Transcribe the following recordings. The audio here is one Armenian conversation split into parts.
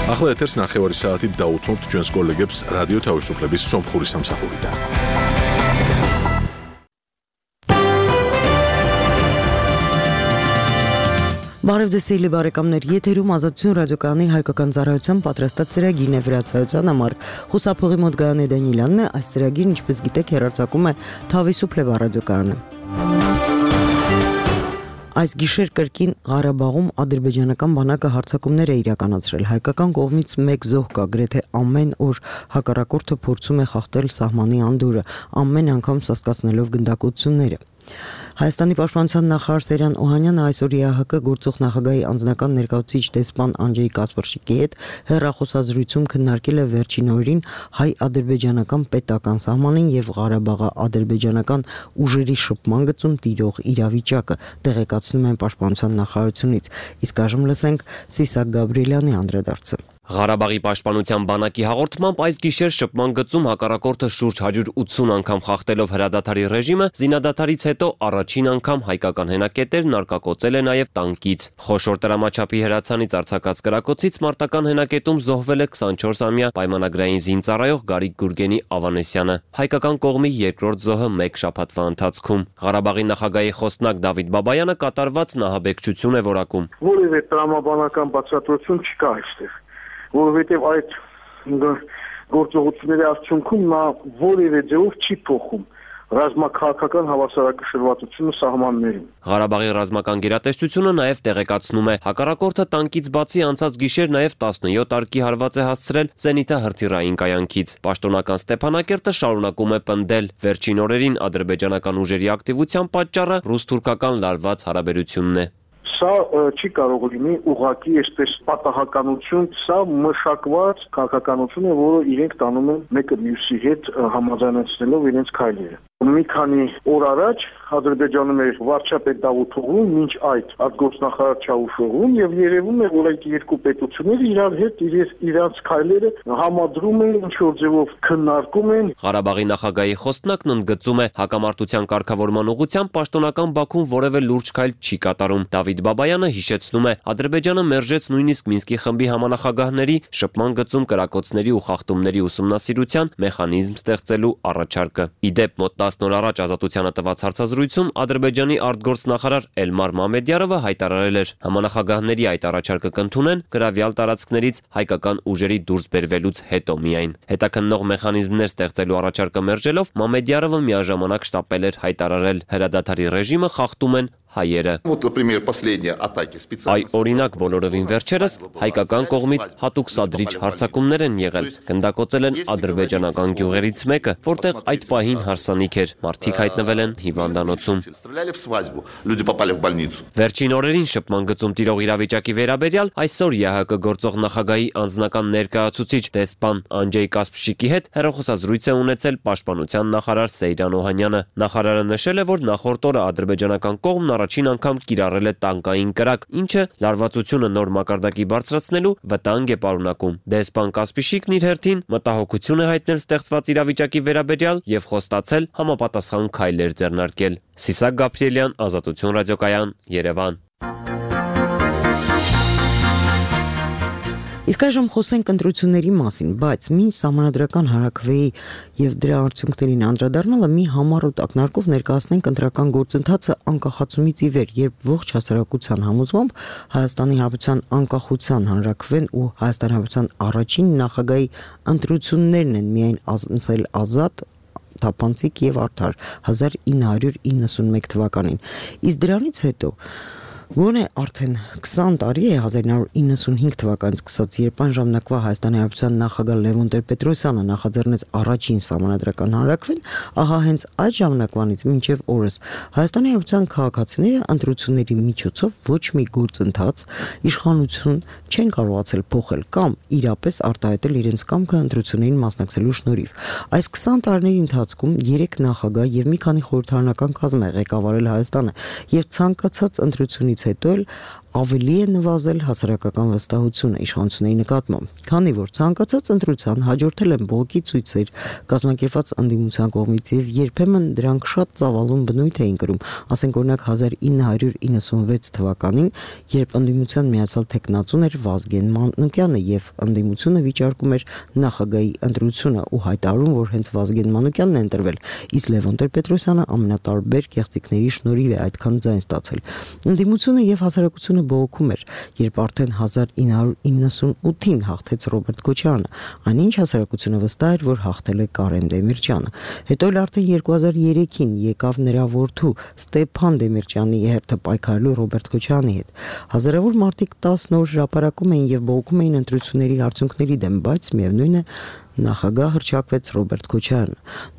ახლა ეთერს ნახევარი საათით დაუთმობთ ჩვენს კოლეგებს რადიო თავისუფლების სომხური სამსახურიდან. Բարև ձեզ սիրելի բարեկամներ, եթերում Ազատություն ռադիոկայանի հայկական ծառայության պատրաստած ծրագիրն է վրացայության համար։ Խուսափողի մոտ Գայանե Դանիելյանն է, այս ծրագիրն ինչպես գիտեք հեռարձակում է Թավիսուփլեվա ռադիոկայանը։ Այս գիշեր կրկին Ղարաբաղում ադրբեջանական բանակը հարձակումներ է իրականացրել։ Հայկական կողմից մեկ զոհ կա, գրեթե ամեն օր հակառակորդը փորձում է խախտել սահմանի անդորը, ամեն անգամ սաստկացնելով գնդակոծությունները։ Հայաստանի պաշտպանության նախարար Սերյան Օհանյանը այսօր ԵԱՀԿ գործող նախագահի անձնական ներկայացուցիչ դեսպան Անջեյ Կասպրշիկի հետ հեռախոսազրույցում քննարկել է վերջին օրերին հայ-ադրբեջանական պետական սահմանին եւ Ղարաբաղի-ադրբեջանական ուժերի շփման գծում տիրող իրավիճակը, տեղեկացնում են պաշտպանության նախարարությունից։ Իսկ այժմ լսենք Սիսակ Գաբրիելյանի անդրադարձը։ Ղարաբաղի պաշտպանության բանակի հաղորդմամբ այս գիշեր շփման գծում հակառակորդը շուրջ 180 անգամ խախտելով հրադադարի ռեժիմը, զինադադարից հետո առաջին անգամ հայկական հենակետերն արկակոծել է նաև տանկից։ Խոշոր տրամաչափի հրացանից արձակած կրակոցից մարտական հենակետում զոհվել է 24-ամյա պայմանագրային զինծառայող Գարիկ Գուրգենի Ավանեսյանը։ Հայկական կողմի երկրորդ զոհը մեկ շաբաթվա ընթացքում։ Ղարաբաղի նախագահի խոսնակ Դավիթ Բաբայանը կատարված նահաբեկչություն է որակում։ Որևէ տրամաբանական բացատրություն չկա այստեղ, որովհետև այդ գործողությունների արդյունքում նա որևէ ձևով չի փոխում ռազմաքաղաքական հավասարակշռվածությունը սահմաններին։ Ղարաբաղի ռազմական գերատեսչությունը նաև տեղեկացնում է, հակառակորդը տանկից բացի անցած գիշեր նաև 17 արկի հարված է հասցրել զենիթահրթիռային կայանքից։ Պաշտոնական Ստեփանակերտը շարունակում է պնդել, վերջին օրերին ադրբեջանական ուժերի ակտիվության պատճառը ռուս-թուրքական լարված հարաբերությունն է։ Սա չի կարող լինի ուղղակի այսպես պատահականություն, սա մշակված քաղաքականություն է, որը իրենք տանում են մեկը մյուսի հետ համաձայնեցնելով իրենց քայլերը։ Մի քանի օր առաջ Ադրբեջանում էր վարչապետ Դավութ Օղլուն, մինչ այդ արտգործնախարար Չավուշօղլուն, եւ երևում է, որ այդ երկու պետությունները իրար հետ իրանց քայլերը համադրում են, ինչ որ ձևով քննարկում են։ Ղարաբաղի նախագահի խոսնակն ընդգծում է, հակամարտության կարգավորման ուղղությամբ պաշտոնական Բաքուն որևէ լուրջ քայլ չի կատարում։ Դավիթ Բաբայանը հիշեցնում է, Ադրբեջանը մերժեց նույնիսկ Մինսկի խմբի համանախագահների շփման գծում կրակոցների ու խախտումների ուսումնասիրության մեխանիզմ ստեղծելու առաջարկը։ Իդեպ մոտ 10 օր առաջ Ազատությանը տված հարցազրույցում Ադրբեջանի արտգործնախարար Էլմար Մամեդյարովը հայտարարել էր, համանախագահների այդ առաջարկը կընդունեն գրավյալ տարածքներից հայկական ուժերի դուրս բերվելուց հետո միայն։ Հետաքննող մեխանիզմներ ստեղծելու առաջարկը մերժելով Մամեդյարովը միաժամանակ շտապել էր հայտարարել, հրադադարի ռեժիմը խախտում են հայերը։ Այ օրինակ բոլորովին վերջերս հայկական կողմից հատուկ սադրիչ հարձակումներ են եղել, գնդակոծել են ադրբեջանական գյուղերից մեկը, որտեղ այդ պահին հարսանիք էր, մարդիկ հայտնվել են հիվանդանոցում։ Վերջին օրերին շփման գծում տիրող իրավիճակի վերաբերյալ այսօր ԵԱՀԿ գործող նախագահի անձնական ներկայացուցիչ դեսպան Անջեյ Կասպրշիկի հետ հեռախոսազրույց է ունեցել պաշտպանության նախարար Սեյրան Օհանյանը։ Նախարարը նշել է, որ նախորդ օրը ադրբեջանական կողմն առաջին անգամ կիրառել է տանկային կրակ, ինչը լարվածությունը նոր մակարդակի բարձրացնելու վտանգ է պարունակում։ Դեսպան Կասպրշիկն իր հերթին մտահոգություն է հայտնել ստեղծված իրավիճակի վերաբերյալ եւ խոստացել համապատասխան քայլեր ձեռնարկել։ Սիսակ Գաբրիելյան, Ազատություն ռադիոկայան, Երևան։ Իսկ այժմ խոսենք ընտրությունների մասին, բայց մինչ սահմանադրական հարաքվեի եւ դրա արդյունքներին անդրադառնալը մի համառոտ ակնարկով ներկայացնենք ընտրական գործընթացը անկախացումից ի վեր, երբ ողջ հասարակության համոզմամբ Հայաստանի Հանրապետության անկախության հանրաքվեն ու Հայաստանի Հանրապետության առաջին նախագահի ընտրություններն են միայն անցել ազատ, թափանցիկ եւ արդար 1991 թվականին։ Իսկ դրանից հետո Գոնե արդեն 20 տարի է 1995 թվականից սկսած, երբ այն ժամանակվա Հայաստանի Հանրապետության նախագահ Լևոն Տեր-Պետրոսյանը նախաձեռնեց առաջին սահմանադրական հանրաքվեն, ահա հենց այդ ժամանակվանից մինչև օրս Հայաստանի Հանրապետության քաղաքացիները ընտրությունների միջոցով ոչ մի գործընթաց, իշխանություն չեն կարողացել փոխել կամ իրապես արտահայտել իրենց կամքը ընտրություններին մասնակցելու շնորհիվ։ Այս 20 տարիների ընթացքում 3 նախագահ եւ մի քանի խորհրդարանական կազմ է ղեկավարել Հայաստանը եւ ցանկացած ընտրությունից հետո էլ ավելի է նվազել հասարակական վստահությունը իշխանությունների նկատմամբ, քանի որ ցանկացած ընտրության հաջորդել են բողոքի ցույցեր, կազմակերպված ընդդիմության կողմից եւ երբեմն դրանք շատ ծավալուն բնույթ էին կրում, ասենք օրինակ 1996 թվականին, երբ ընդդիմության միացյալ թեկնածուն էր Վազգեն Մանուկյանը եւ ընդդիմությունը վիճարկում էր նախագահի ընտրությունը ու հայտարարում, որ հենց Վազգեն Մանուկյանն է ընտրվել, իսկ Լևոն Տեր-Պետրոսյանը ամենատարբեր կեղծիքների շնորհիվ է այդքան ձայն ստացել։ Ընդդիմությունը եւ հասարակությունը բողոքում էր, երբ արդեն 1998-ին հաղթեց Ռոբերտ Քոչարյանը, այնինչ հասարակությունը վստահ էր, որ հաղթել է Կարեն Դեմիրճյանը։ Հետո էլ արդեն 2003-ին եկավ նրա որդու Ստեփան Դեմիրճյանի հերթը պայքարելու Ռոբերտ Քոչարյանի հետ։ Հազարավոր մարդիկ 10 օր հրապարակում էին եւ բողոքում էին ընտրությունների արդյունքների դեմ, բայց միևնույն է նախագահ հռչակվեց Ռոբերտ Քոչարյանը։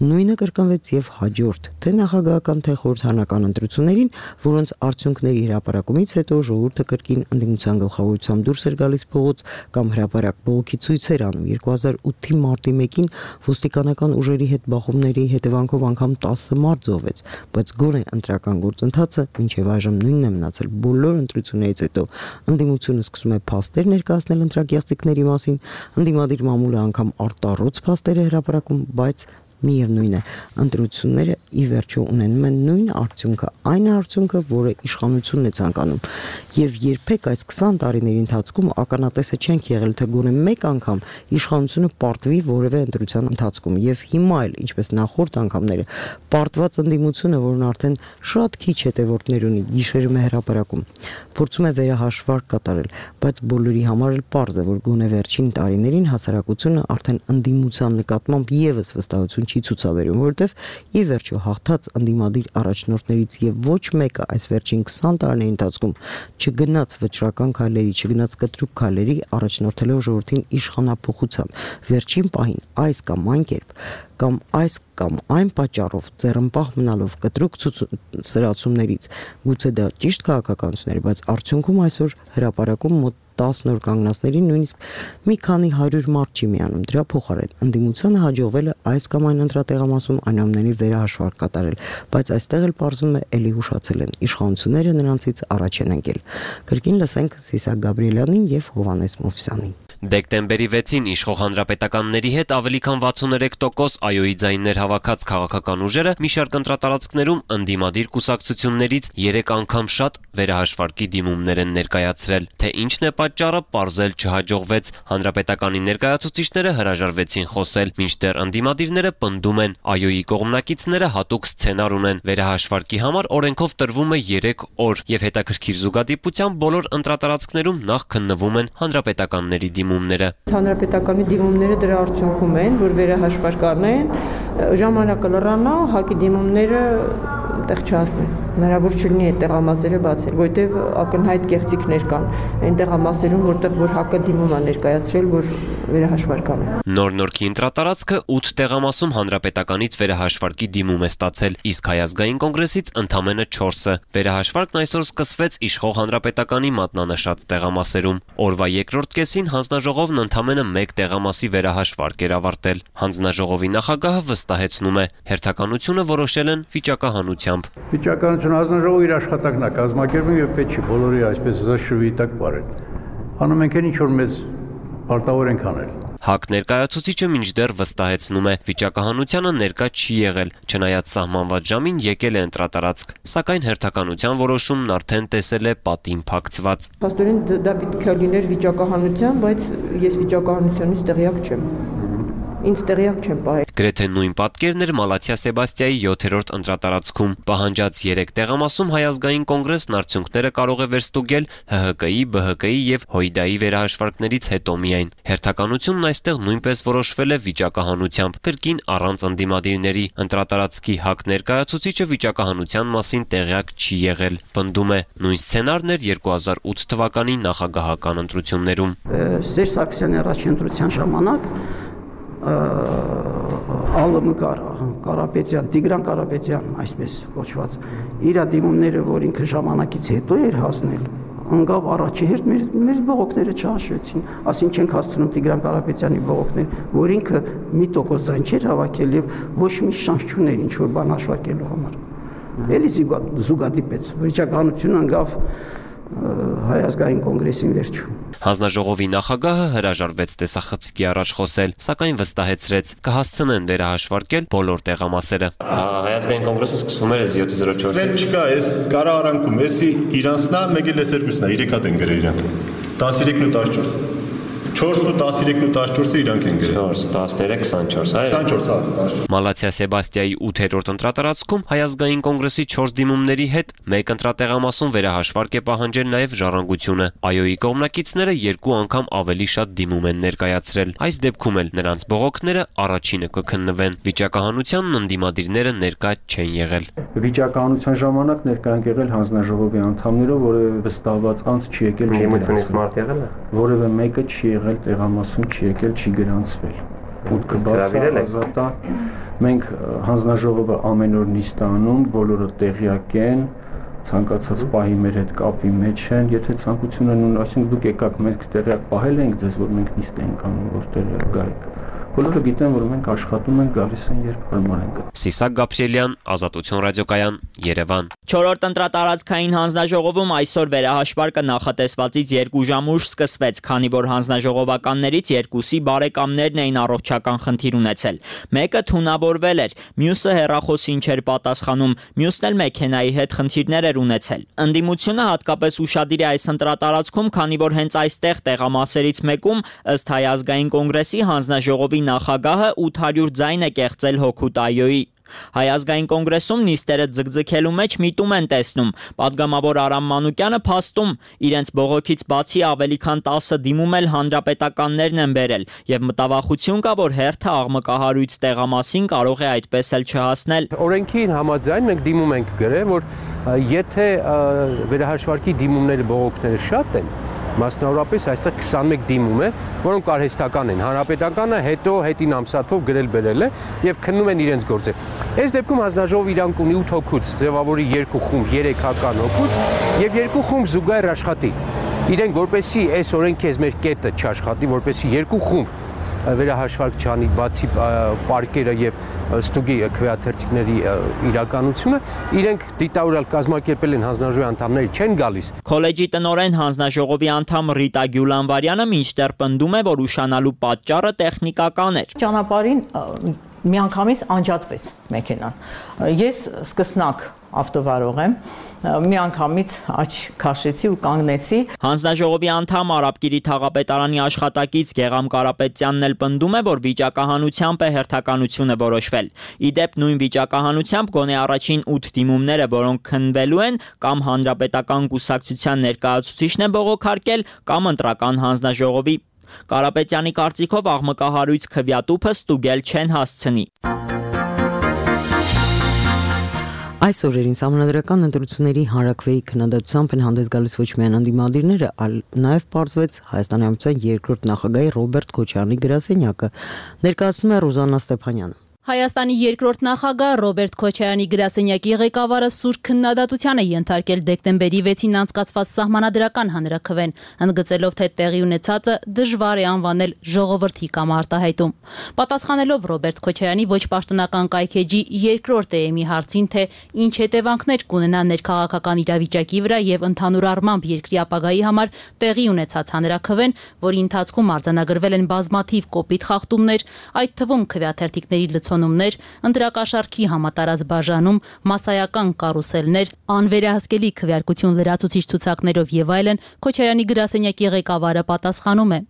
Նույնը կրկնվեց եւ հաջորդ թե նախագահական թե խորհրդարանական ընտրություններին, որոնց արդյունքների հրապարակումից հետո ժողովուրդը կրկին ընդդիմության գլխավորությամբ դուրս էր գալիս փողոց կամ հրապարակ բողոքի ցույցեր անում։ 2008-ի մարտի 1-ին ոստիկանական ուժերի հետ բախումների հետևանքով անգամ 10 մարդ զոհվեց, բայց գոնե ընտրական գործընթացը մինչև այժմ նույնն է մնացել։ Բոլոր ընտրություններից հետո ընդդիմությունը սկսում է փաստեր ներկայացնել ընտրակեղծիքների մասին, ընդդիմադիր մամուլը անգամ արտառոց փաստեր է հրապարակում, բայց միևնույն է, ընտրությունները ի վերջո ունենում են նույն արդյունքը, այն արդյունքը, որը իշխանությունն է ցանկանում։ Եվ երբեք այս 20 տարիների ընթացքում ականատեսը չենք եղել, թե գոնե մեկ անգամ իշխանությունը պարտվի որևէ ընտրության ընթացքում։ Եվ հիմա էլ, ինչպես նախորդ անգամները, պարտված ընդդիմությունը, որն արդեն շատ քիչ հետևորդներ ունի, գիշերում է հրապարակում, փորձում է վերահաշվարկ կատարել, բայց բոլորի համար էլ պարզ է, որ գոնե վերջին տարիներին հասարակությունը արդեն ընդդիմության նկատմամբ եւս վստահություն չի ցուցաբերում, որովհետև ի վերջո հաղթած ընդդիմադիր առաջնորդներից եւ ոչ մեկը այս վերջին 20 տարիների ընթացքում չգնաց վճռական քայլերի, չգնաց կտրուկ քայլերի առաջնորդելով ժողովրդին իշխանափոխության։ Վերջին պահին այս կամ այն կերպ կամ այս կամ այն պատճառով ձեռնպահ մնալով կտրուկ սրացումներից, գուցե դա ճիշտ քաղաքականություն էր, բայց արդյունքում այսօր հրապարակում մոտ 10 օր կանգնածներին նույնիսկ մի քանի 100 մարդ չի միանում։ Դրա փոխարեն ընդդիմությանը հաջողվել է այս կամ այն ընտրատեղամասում այնուամենայնիվ վերահաշվարկ կատարել, բայց այստեղ էլ պարզվում է էլի հուշացել են իշխանությունները նրանցից առաջ են ընկել։ Կրկին լսենք Սիսակ Գաբրիելյանին եւ Հովհաննես Մովսյանին։ Դեկտեմբերի 6-ին իշխող հանրապետականների հետ ավելի քան 63% այոյի ձայներ հավաքած քաղաքական ուժերը մի շարք ընտրատարածքներում ընդդիմադիր կուսակցություններից 3 անգամ շատ վերահաշվարկի դիմումներ են ներկայացրել։ Թե ինչն է պատճառը, պարզել չհաջողվեց։ Հանրապետականի ներկայացուցիչները հրաժարվեցին խոսել, մինչդեռ ընդդիմադիրները պնդում են, այոյի կողմնակիցները հատուկ սցենար ունեն։ Վերահաշվարկի համար օրենքով տրվում է 3 օր եւ հետաքրքիր զուգադիպությամբ բոլոր ընտրատարածքներում նախ քննվում են հանրապետականների դիմումները։ Հանրապետականի դիմումները դրա արդյունքում են, որ վերահաշվարկ առնեն, ժամանակը լռանա, ՀԱԿ-ի դիմումները տեղ չհասնեն։ Հնարավոր չլինի այդ տեղամասերը բացել, որտեղ ակնհայտ կեղծիքներ կան այն տեղամասերում, որտեղ որ ՀԱԿ-ը դիմում է ներկայացրել, որ վերահաշվարկ անեն։ Նոր-նորքի ընտրատարածքը 8 տեղամասում հանրապետականից վերահաշվարկի դիմում է ստացել, իսկ Հայազգային կոնգրեսից ընդամենը 4-ը։ Վերահաշվարկն այսօր սկսվեց իշխող հանրապետականի մատնանշած տեղամասերում։ Օրվա երկրորդ կեսին հանձնաժողովն ընդամենը 1 տեղամասի վերահաշվարկ էր ավարտել։ Հանձնաժողովի նախագահը վստահեցնում է, հերթականությունը որոշել են վիճակահանությամբ։ Վիճակահանությունը հանձնաժողովի իր աշխատանքն է կազմակերպում եւ պետք չի բոլորի այսպես զաշվի տակ բարել։ Անում ենք ինչ որ մեզ պարտավոր ենք անել։ ՀԱԿ ներկայացուցիչը մինչդեռ վստահեցնում է, վիճակահանությանը ներկա չի եղել, չնայած սահմանված ժամին եկել է ընտրատարածք, սակայն հերթականության որոշումն արդեն տեսել է պատին փակցված։ Փաստորեն դա պետք է լիներ վիճակահանության, բայց ես վիճակահանությունից տեղյակ չեմ։ Ինձ տեղյակ չեմ պահել։ Գրեթե նույն պատկերն էր Մալաթիա Սեբաստիայի 7-րդ ընտրատարածքում։ Պահանջած 3 տեղամասում Հայազգային կոնգրեսն արդյունքները կարող է վերստուգել ՀՀԿ-ի, ԲՀԿ-ի եւ ՀՅԴ-ի վերահաշվարկներից հետո միայն։ Հերթականությունն այստեղ նույնպես որոշվել է վիճակահանությամբ, կրկին առանց ընդդիմադիրների։ Ընտրատարածքի ՀԱԿ ներկայացուցիչը վիճակահանության մասին տեղյակ չի եղել։ Պնդում է, նույն սցենարն էր 2008 թվականի նախագահական ընտրություններում։ Սերժ Սարգսյանի առաջին ընտրության ժամանակ ԱԼՄ Կարապետյան, Տիգրան Կարապետյան, այսպես կոչված, իր դիմումները, որ ինքը ժամանակից հետո էր հասնել, անգավ առաջի հերթ մեր բողոքները չհաշվեցին, ասին չենք հասցնում Տիգրան Կարապետյանի բողոքներ, որ ինքը մի տոկոս ձայն չէր հավաքել եւ ոչ մի շանս չուներ ինչ որ բան հաշվարկելու համար։ Էլի զուգադիպեց, վիճակահանությունը անգավ Հայ ազգային կոնգրեսին վերջում։ Հանձնաժողովի նախագահը հրաժարվեց տեսախցիկի առաջ խոսել, սակայն վստահեցրեց կհասցնեն վերահաշվարկել բոլոր տեղամասերը։ Հայ ազգային կոնգրեսը սկսվում էր 704։ Սվել չկա, այս կառավարանքում, էսի իրանցնա, մեկ էլ էս երկուսնա, 3 հատ են գրել իրանք։ 13 ու 14։ 4 ու 13 ու 14-ը իրանք են գրել։ 4, 13, 24, այո։ 24 հատ։ Մալաթիա Սեբաստիայի 8-րդ ընտրատարածքում Հայ ազգային կոնգրեսի 4 դիմումների հետ մեկ ընտրատեղամասում վերահաշվարկ է պահանջել նաև Ժառանգությունը։ ԱՅՈ-ի կողմնակիցները 2 անգամ ավելի շատ դիմում են ներկայացրել։ Այս դեպքում էլ նրանց բողոքները առաջինը կքննվեն։ Վիճակահանությանն ընդդիմադիրները ներկա չեն եղել։ Վիճակահանության ժամանակ ներկա են եղել հանձնաժողովի անդամները, որևէ վստահված անձ չի եկել, չի գրանցվել։ Որևէ մեկը չի եղել տեղամասում, չի եկել, չի գրանցվել։ Մուտքը բաց է, ազատ է։ Մենք հանձնաժողովը ամեն օր նիստ անում, բոլորը տեղյակ են, ցանկացած պահի մեր հետ կապի մեջ են, եթե ցանկություն են ունեն, այսինքն դուք եկաք, մենք տեղյակ պահել ենք ձեզ, որ մենք նիստ ենք անում, որ տեղյակ գայք։ Բոլորը գիտեն, որ մենք աշխատում ենք, գալիս են, երբ հարմար են գտնում։ Սիսակ Գաբրիելյան, Ազատություն ռադիոկայան, Երևան։ 4-րդ ընտրատարածքային հանձնաժողովում այսօր վերահաշվարկը նախատեսվածից 2 ժամ ուշ սկսվեց, քանի որ հանձնաժողովականներից 2-ի բարեկամներն էին առողջական խնդիր ունեցել։ Մեկը թունավորվել էր, մյուսը հեռախոսին չէր պատասխանում, մյուսն էլ մեքենայի հետ խնդիրներ էր ունեցել։ Ընդդիմությունը հատկապես ուշադիր է այս ընտրատարածքում, քանի որ հենց այստեղ տեղամասերից մեկում ըստ Հայ ազգային կոնգրեսի հանձնաժողովի նախագահը 800 ձայն է կեղծել հօգուտ ԱՅՈ-ի։ Հայ ազգային կոնգրեսում նիստերը ձգձգելու մեջ միտում են տեսնում։ Պատգամավոր Արամ Մանուկյանը փաստում իրենց բողոքից բացի ավելի քան 10 դիմում էլ հանրապետականներն են բերել եւ մտավախություն կա, որ հերթը աղմկահարույց տեղամասին կարող է այդպես էլ չհասնել։ Օրենքին համաձայն մենք դիմում ենք գրել, որ եթե վերահաշվարկի դիմումները բողոքները շատ են, մասնավորապես այստեղ 21 դիմում է, որոնք արհեստական են։ Հանրապետականը հետո հետին ամսաթով գրել բերել է եւ քննում են իրենց գործը։ Այս դեպքում հանձնաժողովը իրանք ունի 8 հոգուց, ձևավորի 2 խումբ, 3 հական հոգուց եւ 2 խումբ զուգահեռ աշխատի։ Իրենք որպեսի այս օրենքի այս մեր կետը չաշխատի, որպեսի 2 խումբ վերահաշվարկ չանի, բացի պարկերը եւ ստուգի քվեաթերթիկների իրականությունը, իրենք դիտավորյալ կազմակերպել են հանձնաժողովի անդամները չեն գալիս։ Քոլեջի տնօրեն հանձնաժողովի անդամ Ռիտա Գյուլանվարյանը մինչդեռ պնդում է, որ ուշանալու պատճառը տեխնիկական էր։ Ճանապարհին միանգամից անջատվեց մեքենան։ Ես սկսնակ ավտովարող եմ, միանգամից աչ քաշեցի ու կանգնեցի։ Հանձնաժողովի անդամ Արաբկիրի թաղապետարանի աշխատակից Գեգամ Կարապետյանն էլ պնդում է, որ վիճակահանությամբ է հերթականությունը որոշվել։ Իդեպ նույն վիճակահանությամբ գոնե առաջին 8 դիմումները, որոնք քննվելու են, կամ հանրապետական կուսակցության ներկայացուցիչն է բողոքարկել, կամ ընտրական հանձնաժողովի։ Կարապետյանի կարծիքով աղմկահարույց քվեատուփը ստուգել չեն հասցնի։ Այս օրերին Սահմանադրական ընտրությունների հանրաքվեի քննադատությամբ են հանդես գալիս ոչ միայն անդիմադիրները, այլ նաև պարզվեց Հայաստանի Հանրապետության երկրորդ նախագահի Ռոբերտ Քոչարյանի գրասենյակը, ներկայացնում է Ռուզաննա Ստեփանյանը։ Հայաստանի երկրորդ նախագահ Ռոբերտ Քոչարյանի գրասենյակի ղեկավարը սուր քննադատության է ենթարկել դեկտեմբերի 6-ին անցկացված սահմանադրական հանրաքվեն, ընդգծելով, թե տեղի ունեցածը դժվար է անվանել ժողովրդի կամ արտահայտում։ Պատասխանելով Ռոբերտ Քոչարյանի ոչ պաշտոնական կայքեջի երկրորդ էեմի հարցին, թե ինչ հետևանքներ կունենա ներքաղաքական իրավիճակի վրա եւ ընդհանուր առմամբ երկրի ապագայի համար տեղի ունեցած հանրաքվեն, որի ընթացքում արձանագրվել են բազմաթիվ կոպիտ խախտումներ, այդ թվում քվեաթերթիկների լցոնումներ, ընտրակաշառքի համատարած բաժանում, մասսայական կարուսելներ, անվերահսկելի քվեարկություն լրացուցիչ ցուցակներով եւ այլն, Քոչարյանի գրասենյակի ղեկավարը պատասխանում է.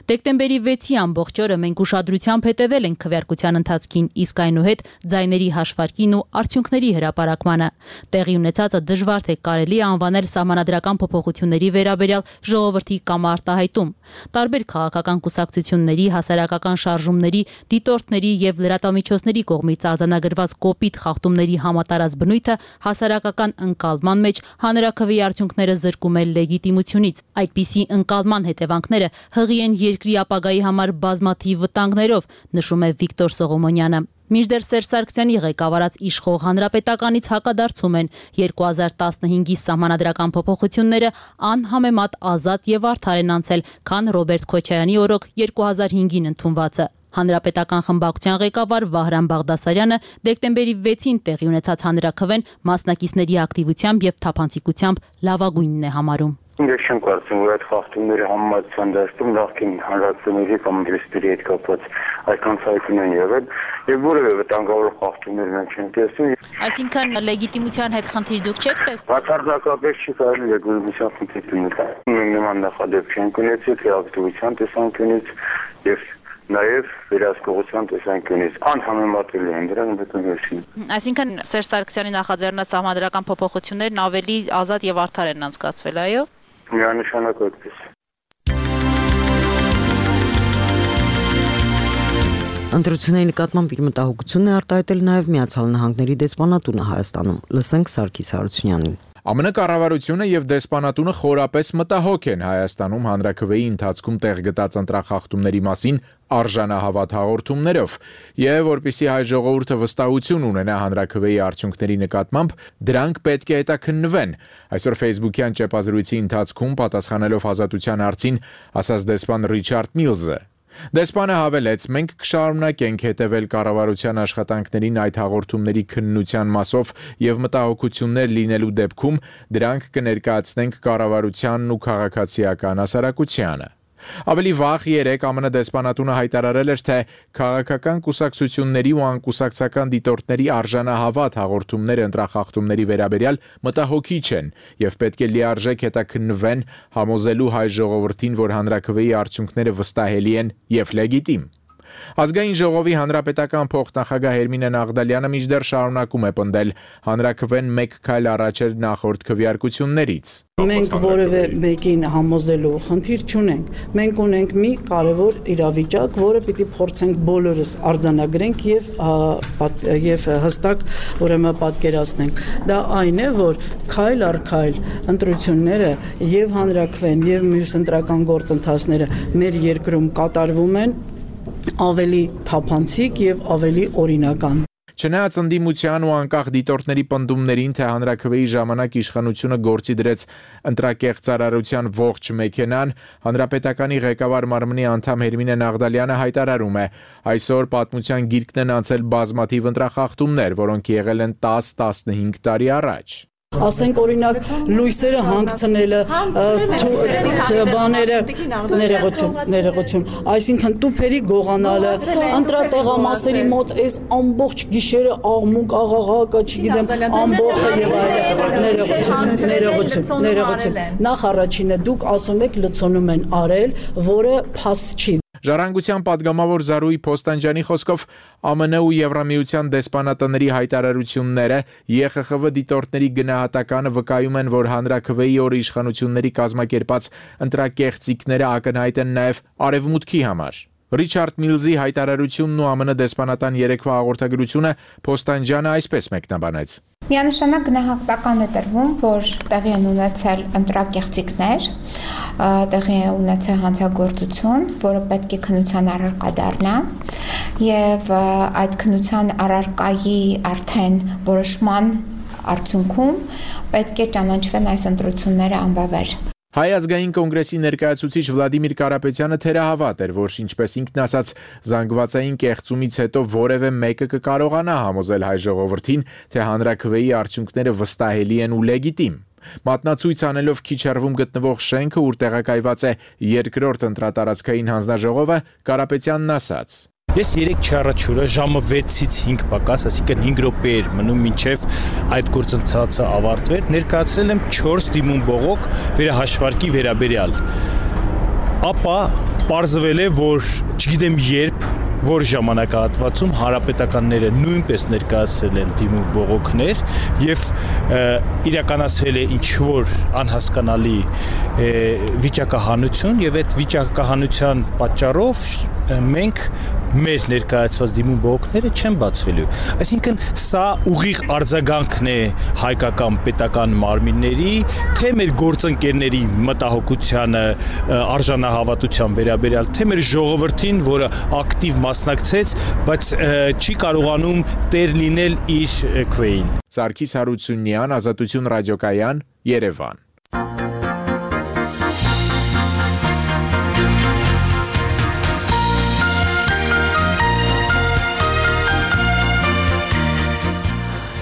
Դեկտեմբերի 6-ի ամբողջ օրը մենք ուշադրությամբ հետևել ենք քվեարկության ընթացքին, իսկ այնուհետ ձայների հաշվարկին ու արդյունքների հրապարակմանը։ Տեղի ունեցածը դժվար թե կարելի է անվանել սահմանադրական փոփոխությունների վերաբերյալ ժողովրդի կամ արտահայտում։ Տարբեր քաղաքական կուսակցությունների, հասարակական շարժումների, դիտորդների եւ լրատվամիջոցների կողմից արձանագրված կոպիտ խախտումների համատարած բնույթը հասարակական ընկալման մեջ հանրաքվեի արդյունքները զրկում է լեգիտիմությունից։ Այդպիսի ընկալման հետևանքները հղի են երկրի ապագայի համար բազմաթիվ վտանգներով, նշում է Վիկտոր Սողոմոնյանը։ Մինչդեռ Սերժ Սարգսյանի ղեկավարած իշխող հանրապետականից հակադարձում են 2015-ի սահմանադրական փոփոխությունները անհամեմատ ազատ եւ արդար են անցել, քան Ռոբերտ Քոչարյանի օրոք 2005-ին ընդունվածը։ Հանրապետական խմբակցության ղեկավար Վահրամ Բաղդասարյանը դեկտեմբերի 6-ին տեղի ունեցած հանրաքվեն մասնակիցների ակտիվությամբ եւ թափանցիկությամբ լավագույնն է համարում։ Ես չեմ կարծում, որ այդ խախտումները համեմատության դաշտում նախկին հանրապետությունների կամ դրստերի հետ կապված այդքան ցայտուն են եղել եւ որևէ վտանգավոր խախտումներ մենք չենք տեսնում։ Այսինքն լեգիտիմության հետ խնդիր դուք չեք տեսնում։ Բացարձակապես չի կարելի լեգիտիմության խնդիր դնել։ Մենք նման նախադեպ չենք ունեցել թե ակտիվության տեսանկյունից եւ նաև վերահսկողության տեսանկյունից անհամեմատելի են դրանք բնականություն։ Այսինքն Սերժ Սարգսյանի նախաձեռնած սահմանադրական փոփոխություններն ավելի ազատ եւ արդար են անցկացվել, այո։ Միանշանակ այդպես։ Ընտրությունների նկատմամբ իր մտահոգությունն է արտահայտել նաև Միացյալ Նահանգների դեսպանատունը Հայաստանում։ Լսենք Սարգիս Հարությունյանին։ ԱՄՆ կառավարությունը եւ դեսպանատունը խորապես մտահոգ են Հայաստանում հանրաքվեի ընթացքում տեղ գտած ընտրախախտումների մասին արժանահավատ հաղորդումներով եւ որպիսի հայ ժողովուրդը վստահություն ունենա հանրաքվեի արդյունքների նկատմամբ, դրանք պետք է հետաքննվեն։ Այսօր Facebook-յան ճեպազրույցի ընթացքում պատասխանելով Ազատության հարցին, ասաց դեսպան Ռիչարդ Միլզը. Դեսպանը հավելեց, մենք կշարունակենք հետևել կառավարության աշխատանքներին այդ հաղորդումների քննության մասով եւ մտահոգություններ լինելու դեպքում դրանք կներկայացնենք կառավարությանն ու քաղաքացիական հասարակությանը։ Ավելի վաղ երեկ ԱՄՆ դեսպանատունը հայտարարել էր, թե քաղաքական կուսակցությունների ու անկուսակցական դիտորդների արժանահավատ հաղորդումները ընտրախախտումների վերաբերյալ մտահոգիչ են եւ պետք է լիարժեք հետաքննվեն համոզելու հայ ժողովրդին, որ հանրաքվեի արդյունքները վստահելի են եւ լեգիտիմ։ Ազգային ժողովի հանրապետական փոխնախագահ Հերմինե Նաղդալյանը մինչդեռ շարունակում է պնդել, հանրաքվեն մեկ քայլ առաջ էր նախորդ քվեարկություններից։ Մենք որևէ մեկին համոզելու խնդիր չունենք։ Մենք ունենք մի կարևոր իրավիճակ, որը պիտի փորձենք բոլորս արձանագրենք եւ հստակ ուրեմն պատկերացնենք։ Դա այն է, որ քայլ առ քայլ ընտրությունները եւ հանրաքվեն եւ մյուս ընտրական գործընթացները մեր երկրում կատարվում են ավելի թափանցիկ եւ ավելի օրինական։ Չնայած ընդդիմության ու անկախ դիտորդների պնդումներին, թե հանրաքվեի ժամանակ իշխանությունը գործի դրեց ընտրակեղծարարության ողջ մեքենան, հանրապետականի ղեկավար մարմնի անդամ Հերմինե Նաղդալյանը հայտարարում է. այսօր պատմության գիրկն են անցել բազմաթիվ ընտրախախտումներ, որոնք եղել են 10-15 տարի առաջ։ Ասենք օրինակ լույսերը հանգցնելը, բաները, ներողություն, այսինքն տուփերի գողանալը, ընտրատեղամասերի մոտ այս ամբողջ գիշերը աղմուկ, աղաղակը, չգիտեմ, ամբողջը եւ ներողություն։ Նախ առաջինը դուք ասում եք լցոնում են արել, որը փաստ չի։ Ժառանգության падգամավոր Զարուհի Փոստանջյանի խոսքով ԱՄՆ ու Եվրամիության դեսպանատների հայտարարությունները ԵԽԽՎ դիտորդների գնահատականը վկայում են, որ հանրաքվեի օրը իշխանությունների կազմակերպած ընտրակեղծիքները ակնհայտ են նաև արևմուտքի համար։ Ռիչարդ Միլզի հայտարարությունն ու ԱՄՆ դեսպանատան երեկվա հաղորդագրությունը Փոստանջյանը այսպես մեկնաբանեց. Միանշանակ գնահատական է տրվում, որ տեղի են ունեցել ընտրակեղծիքներ, տեղի է ունեցել հանցագործություն, որը պետք է քննության առարկա դառնա, եւ այդ քննության առարկայի արդեն որոշման արդյունքում պետք է ճանաչվեն այս ընտրությունները անբավեր։ Հայ ազգային կոնգրեսի ներկայացուցիչ Վլադիմիր Կարապետյանը թերահավատ էր, որ ինչպես ինքն ասաց, զանգվածային կեղծումից հետո որևէ մեկը կկարողանա համոզել հայ ժողովրդին, թե հանրաքվեի արդյունքները վստահելի են ու լեգիտիմ։ Մատնացույց անելով քիչ հեռվում գտնվող շենքը, ուր տեղակայված է երկրորդ ընտրատարածքային հանձնաժողովը, Կարապետյանն ասաց. Ես 3 չառաջուրը ժամը 6-ից 5 պակաս, այսինքն 5 րոպե էր մնում մինչև այդ գործընթացը ավարտվեր, ներկայացրել եմ 4 դիմում բողոք վերահաշվարկի վերաբերյալ։ Ապա պարզվել է, որ չգիտեմ երբ, որ ժամանակահատվածում հանրապետականները նույնպես ներկայացրել են դիմում բողոքներ եւ իրականացվել է ինչ-որ անհասկանալի վիճակահանություն եւ այդ վիճակահանության պատճառով մենք մեր ներկայացված դիմում բողոքները չեն բացվելու։ Այսինքն սա ուղիղ արձագանքն է հայկական պետական մարմինների, թե մեր գործընկերների մտահոգությանը, արժանահավատության վերաբերյալ, թե մեր ժողովրդին, որը ակտիվ մասնակցեց, բայց չի կարողանում տեր լինել իր քվեին։ Սարգիս Հարությունյան, Ազատություն ռադիոկայան, Երևան։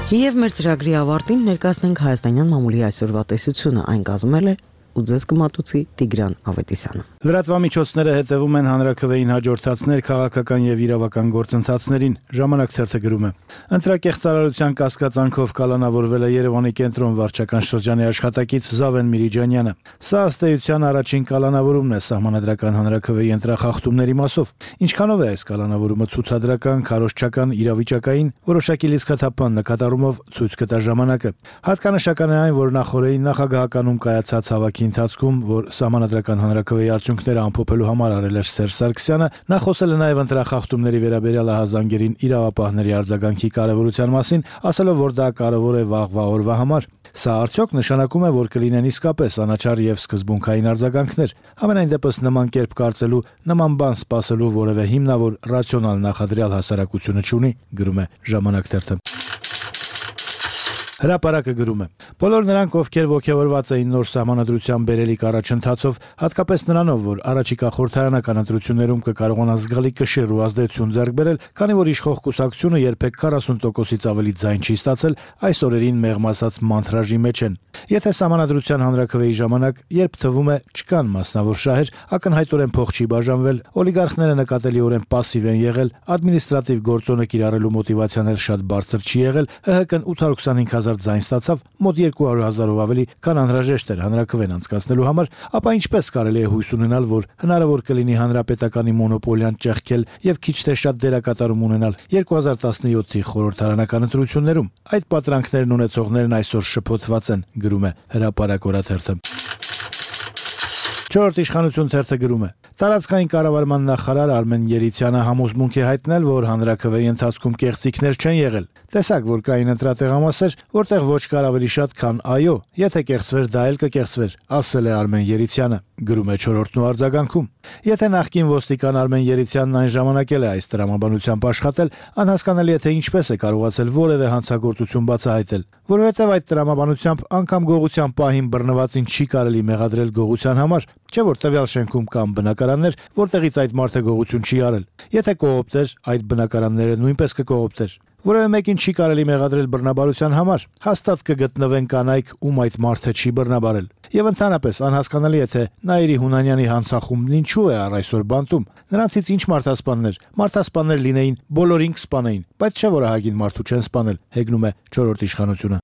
Եվ մեր ծրագրի ավարտին ներկայացնենք հայաստանյան մամուլի այսօրվա տեսությունը, այն կազմել է ու ձեզ կմատուցի Տիգրան Ավետիսյանը։ Լրատվամիջոցները հետևում են հանրաքվեին հաջորդածներ քաղաքական եւ իրավական գործընթացներին։ Ժամանակ թերթը գրում է. Ընտրակեղծարարության կասկածանքով կալանավորվել է Երևանի կենտրոն վարչական շրջանի աշխատակից Զավեն Միրիջանյանը։ Սա ըստ էության առաջին կալանավորումն է սահմանադրական հանրաքվեի ընտրախախտումների մասով։ Ինչքանով է այս կալանավորումը ցուցադրական, քարոզչական, իրավիճակային, որոշակի լիցքաթափան նկատառումով ցույց կտա ժամանակը։ Հատկանշական է այն, որ նախորդին նախագահականում կայացած հավաքի ընթացքում, որ սահմանադրական հանրաքվեի արդյունքները ամփոփելու համար արել էր Սերժ Սարգսյանը, նա խոսել է նաև ընտրախախտումների վերաբերյալ ահազանգերին իրավապահների արձագանքի կարևորության մասին, ասելով, որ դա կարևոր է վաղվա օրվա համար։ Սա արդյոք նշանակում է, որ կլինեն իսկապես անաչառ եւ սկզբունքային արձագանքներ։ Ամենայն դեպս նման կերպ կարծելու, նման բան սպասելու որևէ հիմնավոր ռացիոնալ նախադրյալ հասարակությունը չունի, գրում է Ժամանակ թերթը։ Հրապարակը գրում է. Բոլոր նրանք, ովքեր ողջավորված էին նոր սահմանադրության բերելիք առաջընթացով, հատկապես նրանով, որ առաջիկա խորհրդարանական ընտրություններում կկարողանան զգալի կշիռ ու ազդեցություն ձեռք բերել, քանի որ իշխող կուսակցությունը երբեք 40%-ից ավելի ձայն չի ստացել, այս օրերին մեղմ ասած մանթրաժի մեջ են։ Եթե սահմանադրության հանրաքվեի ժամանակ, երբ թվում է չկան մասնավոր շահեր, ակնհայտորեն փող չի բաժանվել, օլիգարխները նկատելիորեն пассив են եղել, ադմինիստրատիվ գործոնը կիրառելու մոտիվացիան էլ շատ բարձր չի եղել, ՀՀԿ-ն 825,000 ձայն ստացավ, մոտ 200,000-ով ավելի, քան անհրաժեշտ էր հանրաքվեն անցկացնելու համար, ապա ինչպես կարելի է հույս ունենալ, որ հնարավոր կլինի հանրապետականի մոնոպոլիան ճեղքել եւ քիչ թե շատ դերակատարում ունենալ 2017-ի խորհրդարանական ընտրություններում։ Այդ պատրանքներն ունեցողներն այսօր շփոթված են, գրում է Հրապարակ օրաթերթը։ Չորրորդ իշխանություն թերթը գրում է. Տարածքային կառավարման նախարար Արմեն Երիցյանը համոզմունք է հայտնել, որ հանրաքվեի ընթացքում կեղծիքներ չեն եղել։ Տեսակ, որ կային ընտրատեղամասեր, որտեղ ոչ կար ավելի շատ, քան այո, եթե կեղծվեր, դա էլ կկեղծվեր, ասել է Արմեն Երիցյանը, գրում է Չորրորդն ու արձագանքում։ Եթե նախկին ոստիկան Արմեն Երիցյանն այն ժամանակ էլ է այս տրամաբանությամբ աշխատել, անհասկանալի է թե ինչպես է կարողացել որևէ հանցագործություն բացահայտել, որովհետև այդ տրամաբանությամբ անգամ գողության պահին բռնվածին չի կարելի մեղադրել գողության համար, չէ՞ որ տվյալ շենքում կան բնակարաններ, որտեղից այդ մարդը գողություն չի արել։ Եթե կողոպտեր, այդ բնակարանները նույնպես կկողոպտեր։ Որևէ մեկին չի կարելի մեղադրել բռնաբարության համար, հաստատ կգտնվեն կանայք, ում այդ մարդը չի բռնաբարել։ Եվ ընդհանրապես անհասկանալի է թե Նաիրի Հունանյանի հանցախումբն ինչու է առ այսօր բանտում։ Նրանցից ինչ մարդասպաններ լինեին, բոլորին կսպանեին, բայց չէ որ ահագին մարդու չեն սպանել, հեգնում է Չորրորդ իշխանությունը։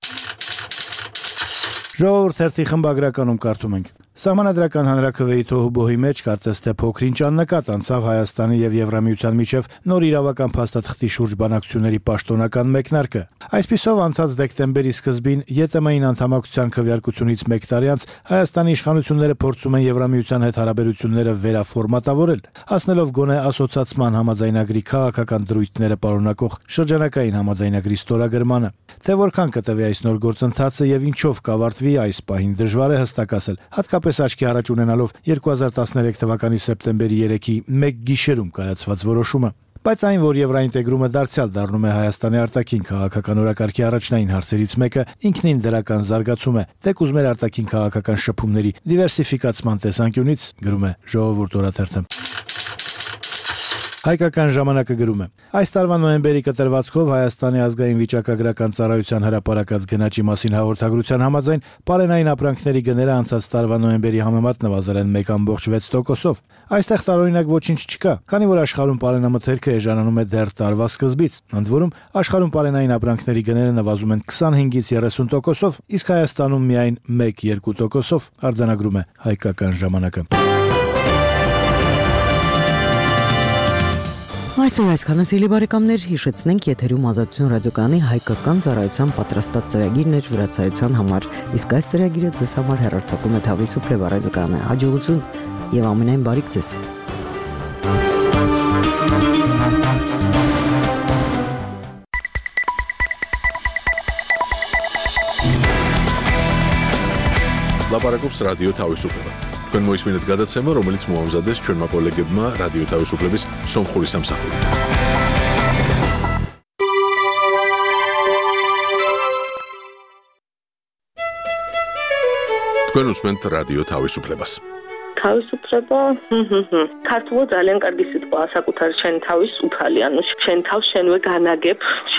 Ժողովուրդ թերթի խմբագրականում կարդում ենք. Սահմանադրական հանրաքվեի թոհուբոհի մեջ կարծես թե փոքրինչ աննկատ անցավ Հայաստանի եւ Եվրամիության միջև նոր իրավական փաստաթղթի շուրջ բանակցությունների պաշտոնական մեկնարկը։ Այսպիսով անցած դեկտեմբերի սկզբին ԵՏՄ-ին անդամակցության քվեարկությունից 1 տարի անց Հայաստանի իշխանությունները փորձում են Եվրամիության հետ հարաբերությունները վերաֆորմատավորել, հասնելով գոնե ասոցացման համաձայնագրի քաղաքական դրույթները պարունակող շրջանակային համաձայնագրի ստորագրմանը։ Թե որքան կտևի այս նոր գործընթացը եւ ինչով կավարտվի այս պահին դժվար է հստակ ասել, հատկապես աչքի առաջ ունենալով 2013 թվականի սեպտեմբերի 3-ի մեկ գիշերում կայացված որոշումը։ Բայց այն, որ եվրոինտեգրումը դարձյալ դառնում է Հայաստանի արտաքին քաղաքական օրակարգի առաջնային հարցերից մեկը, ինքնին դրական զարգացում է, թե կուզմեր արտաքին քաղաքական շփումների դիվերսիֆիկացման տեսանկյունից, գրում է Ժողովուրդ օրաթերթը։ Հայկական ժամանակը գրում է. Այս տարվա նոյեմբերի կտրվածքով Հայաստանի ազգային վիճակագրական ծառայության հրապարակած գնաճի մասին հաղորդագրության համաձայն պարենային ապրանքների գները անցած տարվա նոյեմբերի համեմատ նվազել են 1.6%-ով։ Այստեղ տարօրինակ ոչինչ չկա, քանի որ աշխարհում պարենամթերքը էժանանում է դեռ տարվա սկզբից։ Ընդ որում, աշխարհում պարենային ապրանքների գները նվազում են 25-ից 30%-ով, իսկ Հայաստանում միայն 1-2%-ով, արձանագրում է Հայկական ժամանակը։ Այսօր այսքանը սիրելի բարեկամներ, հիշեցնենք եթերում Ազատություն ռադիոկայանի հայկական ծառայության պատրաստած ծրագիրն էր վրացայության համար, իսկ այս ծրագիրը ձեզ համար հեռարձակում է Թավրիզ Սուփլեվա ռադիոկայանը։ Հաջողություն եւ ամենայն բարիք ձեզ։ Լապարակոպս ռադիո Թավրիզ Սուփլեվա Քան մոյս մինետ գադացեմը, რომელიც մոհամզադես չորմա կոլեգեբմա ռադիո Թավրիզ Սուփլեվիս Սոմխորի Սամսախորի։ Քան ուսմենտ ռադիո Թավրիզ Սուփլեվաս։ Თავისუფლება, ქართულად ძალიან კარგი სიტყვაა საკუთარ შენ თავის უფალი, ანუ შენ თავს შენვე განაგებ,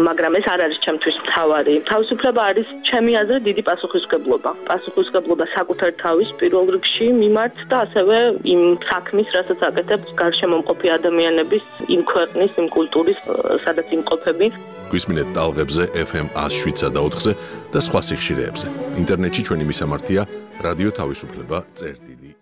მაგრამ ეს არ არის ჩემთვის მთავარი. Თავისუფლება არის ჩემი აზრით დიდი პასუხისმგებლობა. პასუხისმგებლობა საკუთარ თავის პირველ რიგში მიმართ და ასევე იმ საქმის, რასაც აკეთებს გარშემომყოფი ადამიანების, იმ ქვეყნის, იმ კულტურის, სადაც იმყოფები. გვისმინეთ ტალღებზე FM 107.4-ზე და სხვა სიხშირეებზე. ინტერნეტში ჩვენი მისამართია რადიო თავისუფლება წერტილი